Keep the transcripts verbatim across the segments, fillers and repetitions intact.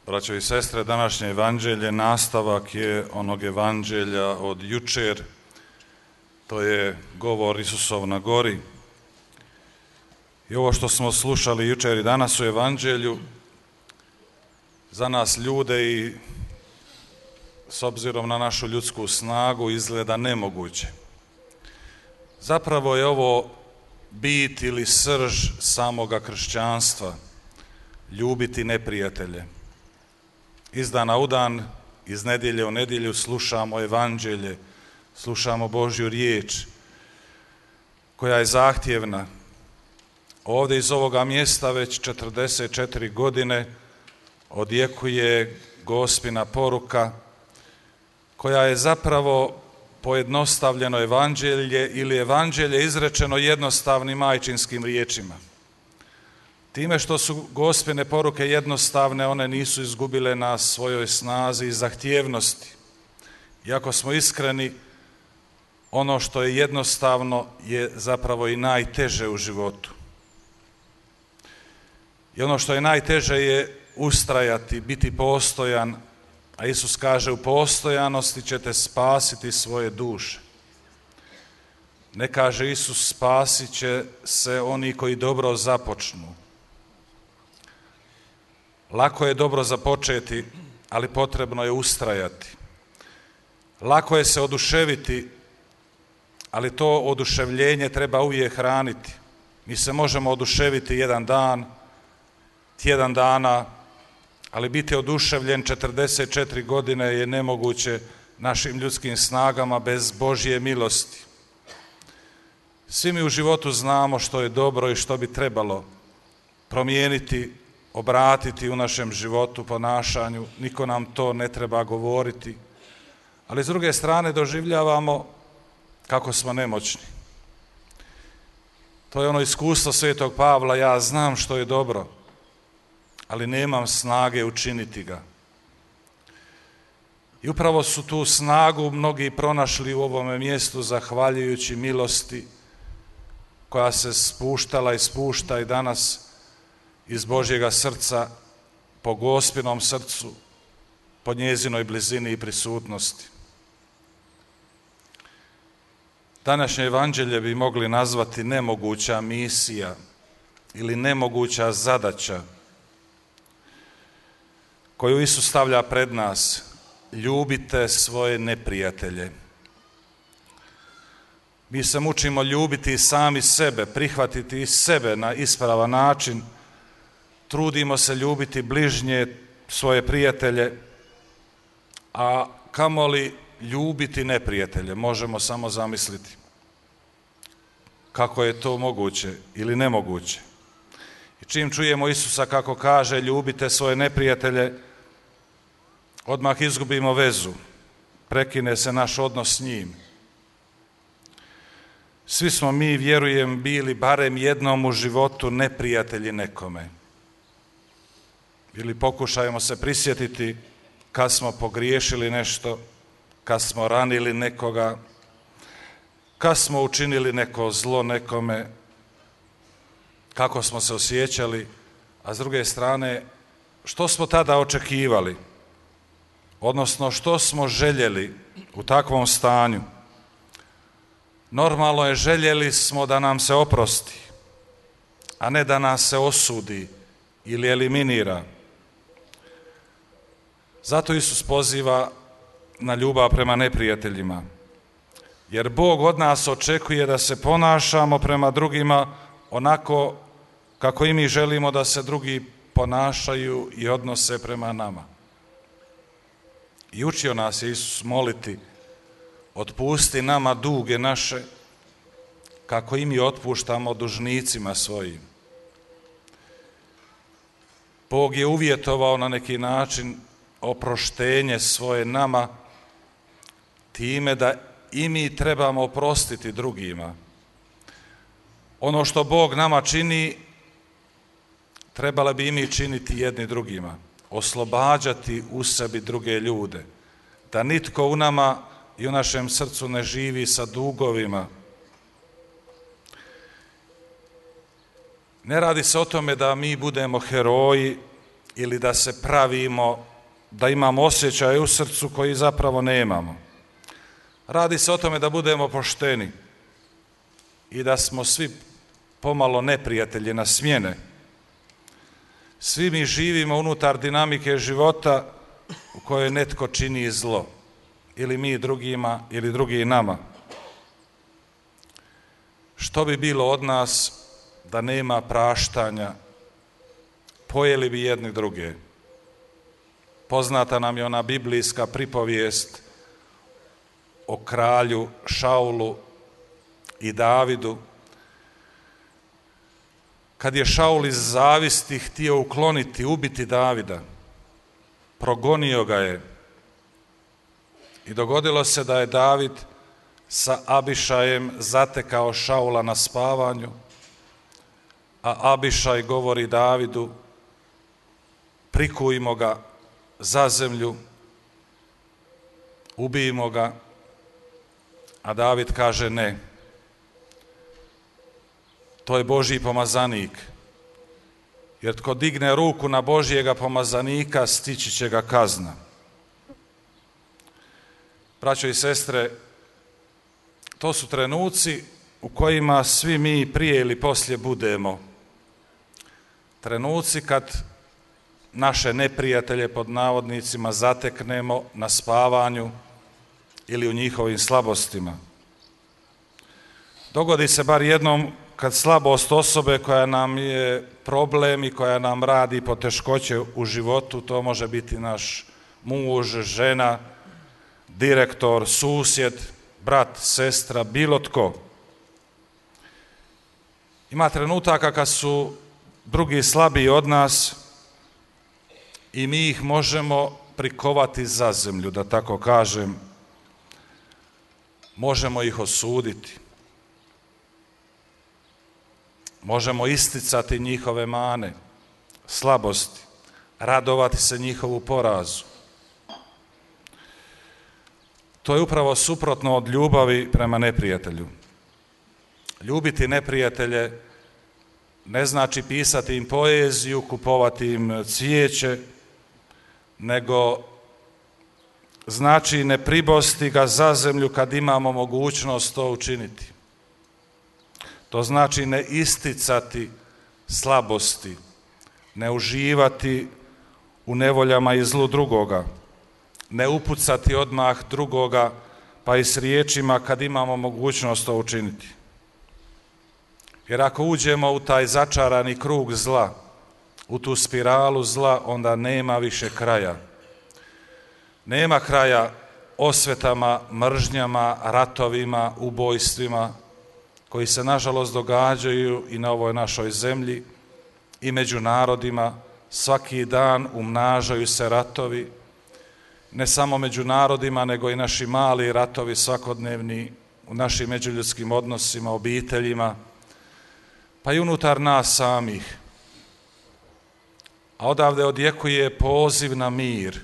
Braćo i sestre, današnje evanđelje nastavak je onog evanđelja od jučer, to je govor Isusov na gori. I ovo što smo slušali jučer i danas u evanđelju, za nas ljude i s obzirom na našu ljudsku snagu izgleda nemoguće. Zapravo je ovo bit ili srž samoga kršćanstva, ljubiti neprijatelje. Iz dana u dan, iz nedjelje u nedjelju slušamo evanđelje, slušamo Božju riječ koja je zahtjevna. Ovdje iz ovoga mjesta već četrdeset četiri godine odjekuje Gospina poruka koja je zapravo pojednostavljeno evanđelje ili evanđelje izrečeno jednostavnim majčinskim riječima. Time što su Gospine poruke jednostavne, one nisu izgubile na svojoj snazi i zahtjevnosti. Iako smo iskreni, ono što je jednostavno je zapravo i najteže u životu. I ono što je najteže je ustrajati, biti postojan, a Isus kaže u postojanosti ćete spasiti svoje duše. Ne kaže Isus spasit će se oni koji dobro započnu. Lako je dobro započeti, ali potrebno je ustrajati. Lako je se oduševiti, ali to oduševljenje treba uvijek hraniti. Mi se možemo oduševiti jedan dan, tjedan dana, ali biti oduševljen četrdeset četiri godine je nemoguće našim ljudskim snagama bez Božje milosti. Svi mi u životu znamo što je dobro i što bi trebalo promijeniti, obratiti u našem životu, ponašanju, niko nam to ne treba govoriti, ali s druge strane doživljavamo kako smo nemoćni. To je ono iskustvo svetog Pavla, ja znam što je dobro, ali nemam snage učiniti ga. I upravo su tu snagu mnogi pronašli u ovome mjestu zahvaljujući milosti koja se spuštala i spušta i danas iz Božjega srca, po Gospinom srcu, po njezinoj blizini i prisutnosti. Današnje evanđelje bi mogli nazvati nemoguća misija ili nemoguća zadaća koju Isus stavlja pred nas. Ljubite svoje neprijatelje. Mi se mučimo ljubiti sami sebe, prihvatiti i sebe na ispravan način. Trudimo se ljubiti bližnje, svoje prijatelje, a kamoli ljubiti neprijatelje, možemo samo zamisliti kako je to moguće ili nemoguće. I čim čujemo Isusa kako kaže ljubite svoje neprijatelje, odmah izgubimo vezu, prekine se naš odnos s njim. Svi smo mi, vjerujem, bili barem jednom u životu neprijatelji nekome. Ili pokušajmo se prisjetiti kad smo pogriješili nešto, kad smo ranili nekoga, kad smo učinili neko zlo nekome, kako smo se osjećali, a s druge strane, što smo tada očekivali, odnosno što smo željeli u takvom stanju. Normalno je, željeli smo da nam se oprosti, a ne da nas se osudi ili eliminira. Zato Isus poziva na ljubav prema neprijateljima, jer Bog od nas očekuje da se ponašamo prema drugima onako kako i mi želimo da se drugi ponašaju i odnose prema nama. I učio nas je Isus moliti, otpusti nama duge naše, kako i mi otpuštamo dužnicima svojim. Bog je uvjetovao na neki način oproštenje svoje nama time da i mi trebamo oprostiti drugima. Ono što Bog nama čini, trebali bi i mi činiti jedni drugima, oslobađati u sebi druge ljude, da nitko u nama i u našem srcu ne živi sa dugovima. Ne radi se o tome da mi budemo heroji ili da se pravimo da imamo osjećaj u srcu koji zapravo nemamo. Radi se o tome da budemo pošteni i da smo svi pomalo neprijatelji na smjene. Svi mi živimo unutar dinamike života u kojoj netko čini zlo, ili mi drugima, ili drugi nama. Što bi bilo od nas da nema praštanja? Pojeli bi jedni druge. Poznata nam je ona biblijska pripovijest o kralju Šaulu i Davidu. Kad je Šaul iz zavisti htio ukloniti, ubiti Davida, progonio ga je i dogodilo se da je David sa Abišajem zatekao Šaula na spavanju, a Abišaj govori Davidu: prikujmo ga za zemlju, ubijmo ga, a David kaže ne. To je Božji pomazanik, jer tko digne ruku na Božjega pomazanika, stići će ga kazna. Braćo i sestre, to su trenuci u kojima svi mi prije ili poslije budemo. Trenuci kad naše neprijatelje pod navodnicima zateknemo na spavanju ili u njihovim slabostima. Dogodi se bar jednom kad slabost osobe koja nam je problem i koja nam radi poteškoće u životu, to može biti naš muž, žena, direktor, susjed, brat, sestra, bilo tko. Ima trenutaka kad su drugi slabiji od nas i mi ih možemo prikovati za zemlju, da tako kažem. Možemo ih osuditi. Možemo isticati njihove mane, slabosti, radovati se njihovu porazu. To je upravo suprotno od ljubavi prema neprijatelju. Ljubiti neprijatelje ne znači pisati im poeziju, kupovati im cvijeće, nego znači ne pribosti ga za zemlju kad imamo mogućnost to učiniti. To znači ne isticati slabosti, ne uživati u nevoljama i zlu drugoga, ne upucati odmah drugoga, pa i s riječima kad imamo mogućnost to učiniti. Jer ako uđemo u taj začarani krug zla, u tu spiralu zla, onda nema više kraja. Nema kraja osvetama, mržnjama, ratovima, ubojstvima, koji se nažalost događaju i na ovoj našoj zemlji i među narodima. Svaki dan umnažaju se ratovi, ne samo među narodima, nego i naši mali ratovi svakodnevni u našim međuljudskim odnosima, obiteljima, pa i unutar nas samih. A odavde odjekuje poziv na mir.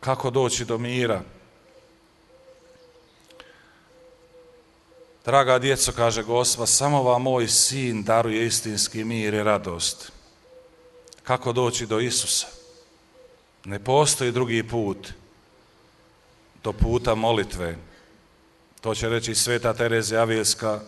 Kako doći do mira? Draga djeco, kaže Gospa, samo vam moj sin daruje istinski mir i radost. Kako doći do Isusa? Ne postoji drugi put do puta molitve. To će reći sveta Terezija Avilska.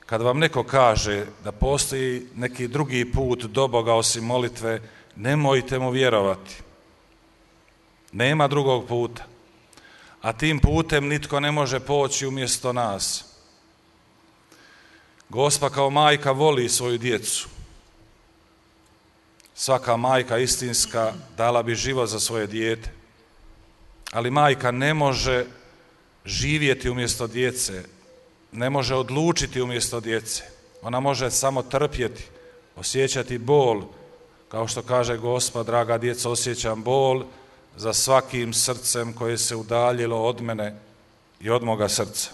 Kad vam neko kaže da postoji neki drugi put do Boga osim molitve, nemojte mu vjerovati. Nema drugog puta. A tim putem nitko ne može poći umjesto nas. Gospa kao majka voli svoju djecu. Svaka majka istinska dala bi život za svoje dijete. Ali majka ne može živjeti umjesto djece, ne može odlučiti umjesto djece. Ona može samo trpjeti, osjećati bol. Kao što kaže Gospa, draga djeco, osjećam bol za svakim srcem koje se udaljilo od mene i od moga srca.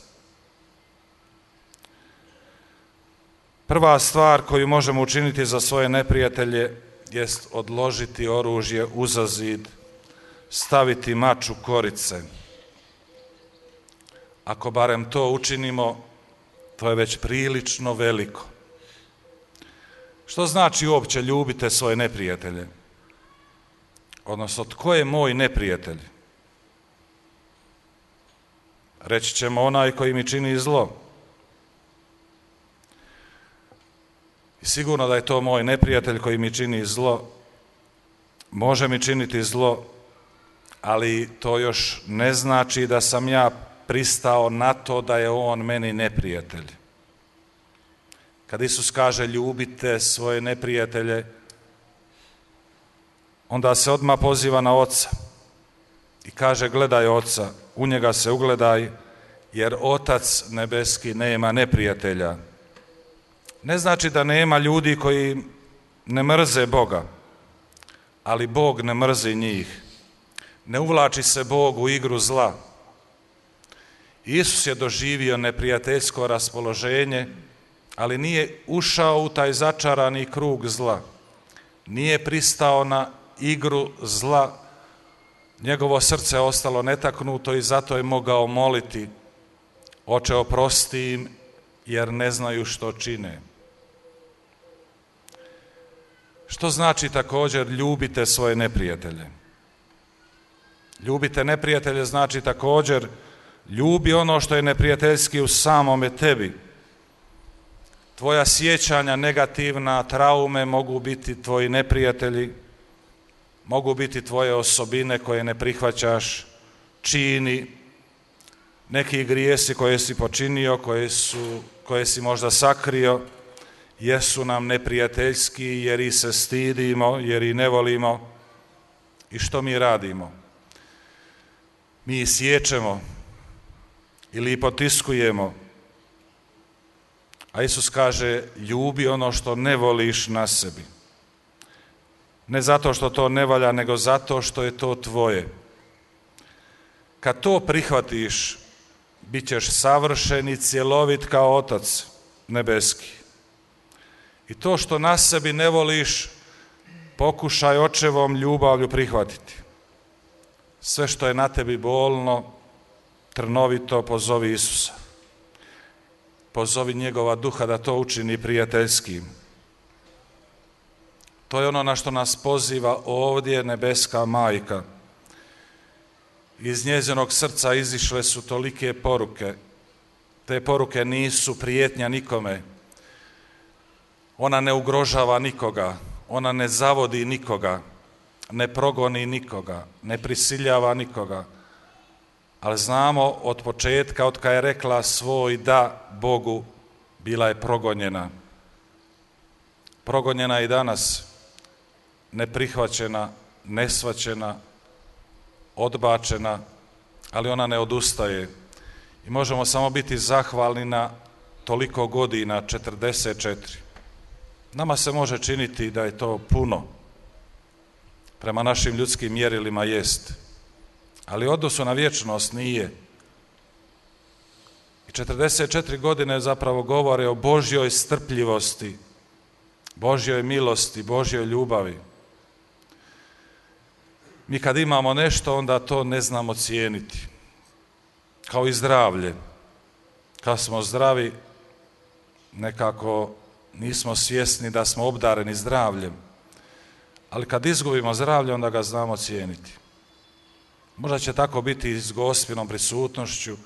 Prva stvar koju možemo učiniti za svoje neprijatelje jest odložiti oružje uza zid, staviti mač u korice. Ako barem to učinimo, to je već prilično veliko. Što znači uopće ljubite svoje neprijatelje? Odnosno, tko je moj neprijatelj? Reći ćemo onaj koji mi čini zlo. I sigurno da je to moj neprijatelj koji mi čini zlo. Može mi činiti zlo, ali to još ne znači da sam ja pristao na to da je on meni neprijatelj. Kad Isus kaže ljubite svoje neprijatelje, onda se odmah poziva na Oca i kaže gledaj Oca, u njega se ugledaj, jer Otac nebeski nema neprijatelja. Ne znači da nema ljudi koji ne mrze Boga, ali Bog ne mrzi njih. Ne uvlači se Bog u igru zla. Isus je doživio neprijateljsko raspoloženje, ali nije ušao u taj začarani krug zla. Nije pristao na igru zla. Njegovo srce je ostalo netaknuto i zato je mogao moliti: Oče, oprosti im, jer ne znaju što čine. Što znači također ljubite svoje neprijatelje? Ljubite neprijatelje znači također ljubi ono što je neprijateljski u samome tebi. Tvoja sjećanja negativna, traume mogu biti tvoji neprijatelji, mogu biti tvoje osobine koje ne prihvaćaš, čini, neki grijesi koje si počinio, koje, su, koje si možda sakrio, jesu nam neprijateljski jer ih se stidimo, jer ih ne volimo. I što mi radimo? Mi ih siječemo ili ih potiskujemo. A Isus kaže, ljubi ono što ne voliš na sebi. Ne zato što to ne valja, nego zato što je to tvoje. Kad to prihvatiš, bit ćeš savršen i cjelovit kao Otac nebeski. I to što na sebi ne voliš, pokušaj očevom ljubavlju prihvatiti. Sve što je na tebi bolno, trnovito, pozovi Isusa. Pozovi njegova duha da to učini prijateljskim. To je ono na što nas poziva ovdje nebeska majka. Iz njezinog srca izišle su tolike poruke. Te poruke nisu prijetnja nikome. Ona ne ugrožava nikoga, ona ne zavodi nikoga, ne progoni nikoga, ne prisiljava nikoga. Ali znamo od početka, od kad je rekla svoj da Bogu, bila je progonjena. Progonjena i danas, neprihvaćena, nesvaćena, odbačena, ali ona ne odustaje. I možemo samo biti zahvalni na toliko godina, četrdeset četiri. Nama se može činiti da je to puno. Prema našim ljudskim mjerilima jest. Ali u odnosu na vječnost nije. I četrdeset četiri godine zapravo govore o Božjoj strpljivosti, Božjoj milosti, Božjoj ljubavi. Mi kad imamo nešto, onda to ne znamo cijeniti. Kao i zdravlje. Kad smo zdravi, nekako nismo svjesni da smo obdareni zdravljem. Ali kad izgubimo zdravlje, onda ga znamo cijeniti. Možda će tako biti i s Gospinom prisutnošću,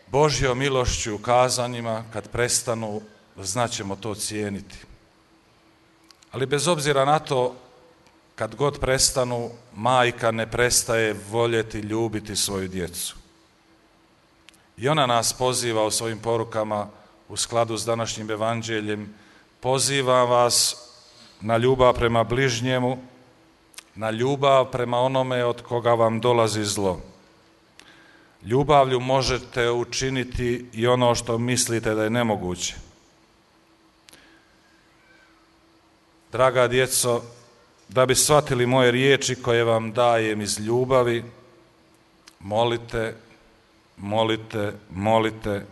Božjom milošću, kazanjima, kad prestanu, znaćemo to cijeniti. Ali bez obzira na to, kad god prestanu, majka ne prestaje voljeti, ljubiti svoju djecu. I ona nas poziva u svojim porukama u skladu s današnjim evanđeljem. Pozivam vas na ljubav prema bližnjemu, na ljubav prema onome od koga vam dolazi zlo. Ljubavlju možete učiniti i ono što mislite da je nemoguće. Draga djeco, da bi shvatili moje riječi koje vam dajem iz ljubavi, molite, molite, molite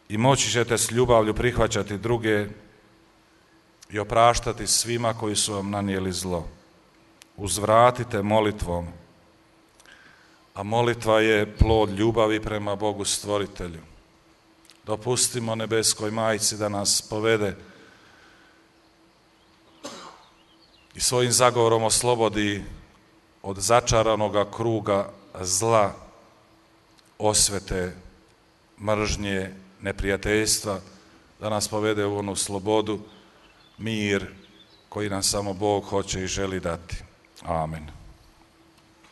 i moći ćete s ljubavlju prihvaćati druge i opraštati svima koji su vam nanijeli zlo. Uzvratite molitvom, a molitva je plod ljubavi prema Bogu stvoritelju. Dopustimo nebeskoj majci da nas povede i svojim zagovorom oslobodi od začaranoga kruga zla, osvete, mržnje, neprijateljstva, da nas povede u onu slobodu, mir koji nam samo Bog hoće i želi dati. Amen.